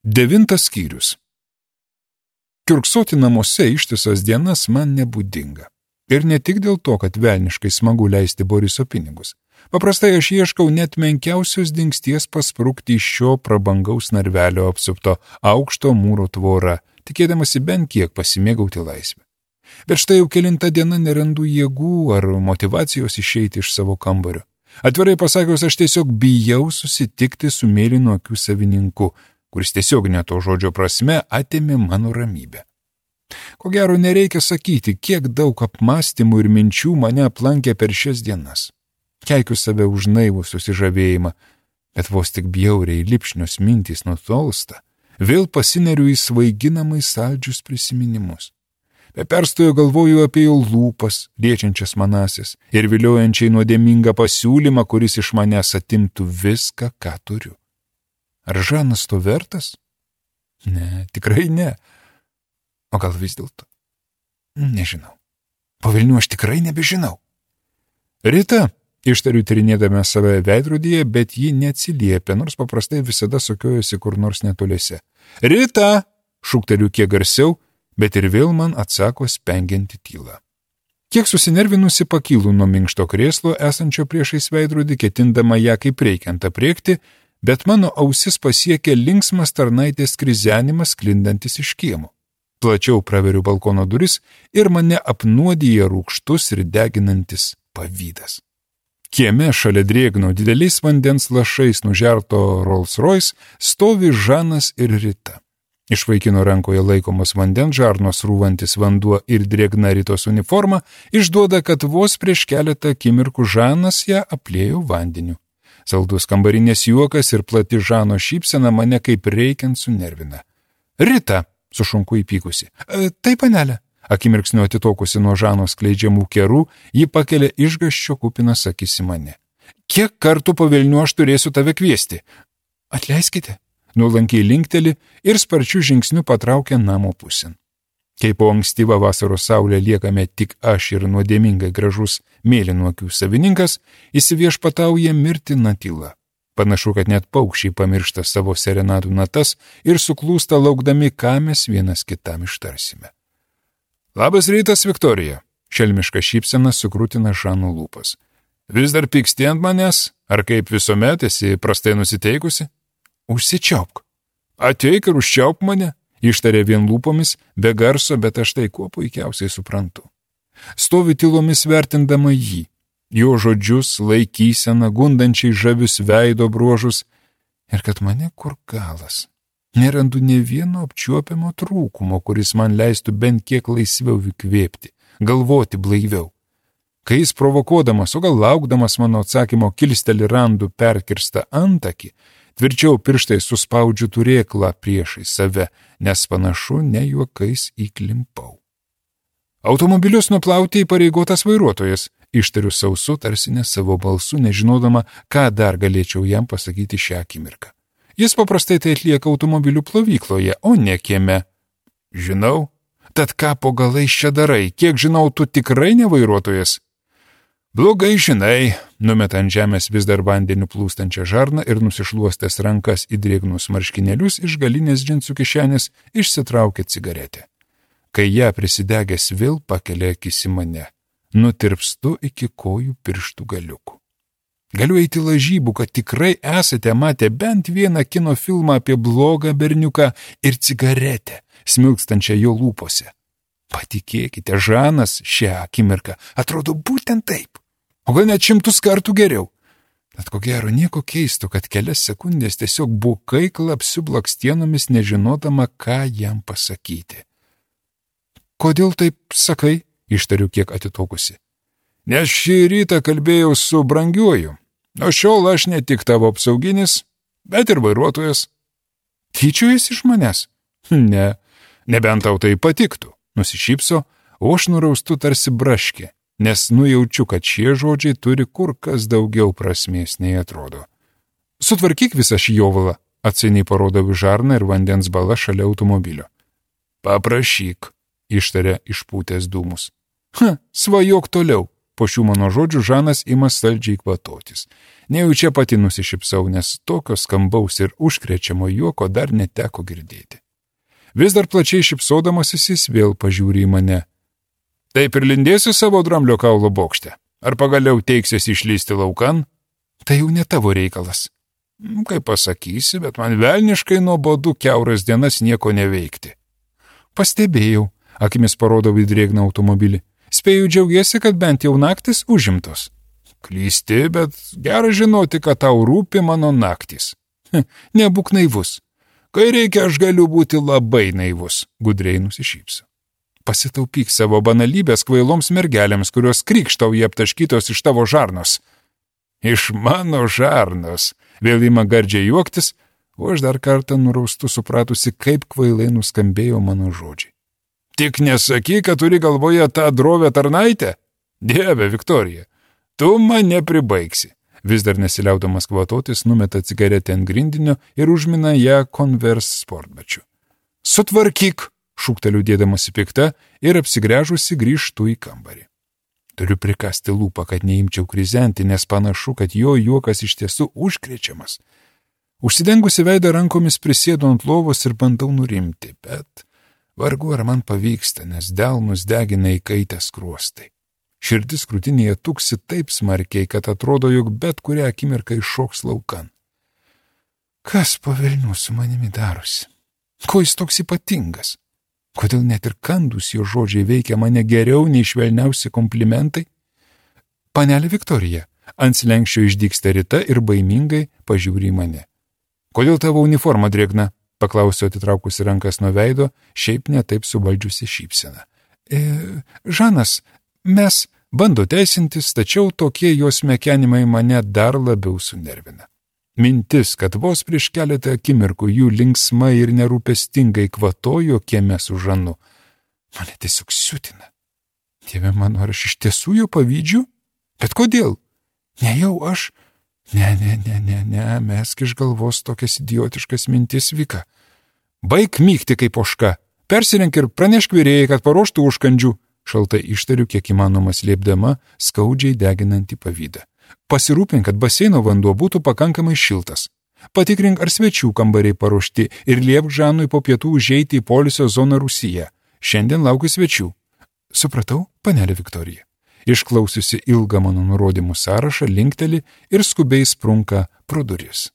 9 skyrius. Kiurksoti namuose ištisas dienas man nebūdinga. Ir ne tik dėl to, kad velniškai smagu leisti Boriso pinigus. Paprastai aš ieškau net menkiausios dingsties pasprukti iš šio prabangaus narvelio apsupto aukšto mūro tvorą, tikėdamasi bent kiek pasimėgauti laisvę. Bet štai jau kelintą dieną nerandu jėgų ar motivacijos išeiti iš savo kambario. Atvirai pasakius, aš tiesiog bijau susitikti su mėlyno akių savininku, kuris tiesiog ne to žodžio prasme atėmė mano ramybę. Ko gero nereikia sakyti, kiek daug apmąstymų ir minčių mane aplankė per šias dienas. Keikiu save už naivų susižavėjimą, bet vos tik bjauriai lipšnios mintys nutolsta, vėl pasineriu į svaiginamai saldžius prisiminimus. Be perstojo galvoju apie jo lūpas, liečiančias manasis ir viliojančiai nuodėmingą pasiūlymą, kuris iš manęs atimtų viską, ką turiu. Ar Žanas to vertas? Ne, tikrai ne. O gal vis dėlto? Nežinau. Po velnių aš tikrai nebežinau. Rita, ištariu tyrinėdama save veidrodyje, bet ji neatsiliepia, nors paprastai visada sukiojosi kur nors netoliese. Rita! Šūkteliu kiek garsiau, bet ir vėl man atsako spengianti tyla. Kiek susinervinusi pakylu nuo minkšto krėslo esančio priešais veidrodį, ketindama ją kaip reikiant apriekti, bet mano ausis pasiekė linksmas tarnaitės krizenimas sklindantis iš kiemo. Plačiau praveriu balkono duris ir mane apnuodija rūgštus ir deginantis pavydas. Kieme šalia drėgno dideliais vandens lašais nužerto Rolls Royce stovi Žanas ir Rita. Iš vaikino rankoje laikomas vandens žarnos rūvantis vanduo ir drėgna Ritos uniforma išduoda, kad vos prieš keletą akimirkų Žanas ją apliejo vandeniu. Saldus kambarinės juokas ir plati Žano šypsena mane kaip reikiant sunervina. Rita, sušunku įpykusi. Tai panelė. Akimirksniu atitokusi nuo Žano skleidžiamų kerų, ji pakelia išgąsčio kupinas akis į mane. Kiek kartų po velnių aš turėsiu tave kviesti? Atleiskite. Nuolankiai linkteli ir sparčiu žingsniu patraukia namo pusėn. Kai po ankstyvą vasaros saulę liekame tik aš ir nuodėmingai gražus mėlynų akių savininkas, įsiviešpatauja mirtina tyla. Panašu, kad net paukščiai pamiršta savo serenadų natas ir suklūsta laukdami, ką mes vienas kitam ištarsime. Labas rytas, Viktorija. Šelmiška šypsena sukrūtina Žano lūpas. Vis dar pyksti ant manęs, ar kaip visuomet esi prastai nusiteikusi? Užsičiaupk. Ateik ir užčiaupk mane. Ištarė vien lūpomis, be garso, bet aš tai kuo puikiausiai suprantu. Stovi tylomis vertindama jį, jo žodžius, laikyseną, gundančiai žavius veido bruožus, ir kad mane kur galas. Nerandu nė vieno apčiuopiamo trūkumo, kuris man leistų bent kiek laisviau įkvėpti, galvoti blaiviau. Kai jis provokuodamas, o gal laukdamas mano atsakymo kilsteli randu perkirstą antakį, tvirčiau pirštai suspaudžiu turėklą priešai save, nes panašu ne juokais įklimpau. Automobilius nuplauti įpareigotas vairuotojas, ištariu sausu, tarsi ne savo balsu, nežinodama, ką dar galėčiau jam pasakyti šią akimirką. Jis paprastai tai atlieka automobilių plovykloje, o ne kieme. Žinau. Tad ką po galais čia darai, kiek žinau, tu tikrai ne vairuotojas? Blogai žinai, numeta ant žemės vis dar vandeniu plūstančią žarną ir nusišluostęs rankas į drėgnus marškinėlius iš galinės džinsų kišenės išsitraukė cigaretę. Kai ją prisidegęs vėl pakelia akis į mane, nutirpstu iki kojų pirštų galiukų. Galiu eiti lažybų, kad tikrai esate matę bent vieną kino filmą apie blogą berniuką ir cigaretę, smilkstančią jo lūpose. Patikėkite, Žanas šią akimirką atrodo būtent taip. O gal net 100 kartų geriau. Bet ko gero nieko keisto, kad kelias sekundės tiesiog bukai klapsiu blakstienomis, nežinodama, ką jam pasakyti. Kodėl taip sakai? Ištariu kiek atitokusi. Nes šį rytą kalbėjau su brangiuoju. O šiol aš ne tik tavo apsauginis, bet ir vairuotojas. Tyčiojasi iš manęs? Ne, nebent tau tai patiktų. Nusišypso, o aš nuraustu tarsi braškė, nes nujaučiu, kad šie žodžiai turi kur kas daugiau prasmės nei atrodo. Sutvarkyk visą šį jovalą, atsainiai parodau žarną ir vandens balą šalia automobilio. Paprašyk, ištarė išpūtęs dūmus. Svajok toliau. Po šių mano žodžių Žanas ima saldžiai kvatotis. Nejučia pati nusišypsau, nes tokio skambaus ir užkrečiamo juoko dar neteko girdėti. Vis dar plačiai šypsodamasis jis vėl pažiūri į mane. Taip ir lindėsi savo dramblio kaulo bokšte? Ar pagaliau teiksiesi išlysti laukan? Tai jau ne tavo reikalas. Kaip pasakysi, bet man velniškai nuobodu kiauras dienas nieko neveikti. Pastebėjau, akimis parodau į drėgną automobilį. Spėju džiaugiesi, kad bent jau naktis užimtos. Klysti, bet gera žinoti, kad tau rūpi mano naktis. Nebūk naivus. Kai reikia, aš galiu būti labai naivus, gudriai nusišypsiu. Pasitaupyk savo banalybės kvailoms mergelėms, kurios krykštauja aptaškytos iš tavo žarnos. Iš mano žarnos. Vėl ima gardžiai juoktis, o aš dar kartą nuraustu supratusi, kaip kvailai nuskambėjo mano žodžiai. Tik nesakyk, kad turi galvoje tą drovę tarnaitę? Dieve, Viktorija, tu mane pribaigsi. Vis dar nesiliaudamas kvatotis, numeta cigaretę ant grindinio ir užmina ją Converse sportbačiu. Sutvarkyk, šūkteliu dėdamasi pikta ir apsigręžusi grįžtu į kambarį. Turiu prikasti lūpą, kad neimčiau krizenti, nes panašu, kad jo juokas iš tiesų užkrečiamas. Užsidengusi veidą rankomis prisėdu ant lovos ir bandau nurimti, bet vargu ar man pavyksta, nes delnus degina įkaitę skruostai. Širdis krūtinėje tuksi taip smarkiai, kad atrodo, jog bet kurią akimirką iššoks laukan. Kas po velnių su manimi darosi? Ko jis toks ypatingas? Kodėl net ir kandus jo žodžiai veikia mane geriau nei švelniausi komplimentai? Panelė Viktorija, ant slenkščio išdygsta Rita ir baimingai pažiūri į mane. Kodėl tavo uniforma drėgna? Paklausiau atitraukusi rankas nuo veido, šiaip netaip suvaldžiusi šypseną. Žanas, mes bando teisintis, tačiau tokie jos mekenimai mane dar labiau sunervina. Mintis, kad vos prieš keletą akimirkų jų linksmai ir nerūpestingai kvatojo kieme su Žanu, mane tiesiog siutina. Dieve mano, ar aš iš tiesų jo pavydžiu? Bet kodėl? Ne jau aš? Ne, mesk iš galvos tokias idiotiškas mintis, Vika. Baik mykti kaip ožka, persirenk ir pranešk virėjai, kad paruoštų užkandžių, šaltai ištariu, kiek įmanoma slėpdama skaudžiai deginantį pavydą. Pasirūpink, kad baseino vanduo būtų pakankamai šiltas. Patikrink, ar svečių kambariai paruošti ir liepk Žanui po pietų užeiti į poilsio zoną Rūsyje. Šiandien laukiu svečių. Supratau, panelė Viktorija. Išklausiusi ilgą mano nurodymų sąrašą, linkteli ir skubiai sprunka pro duris.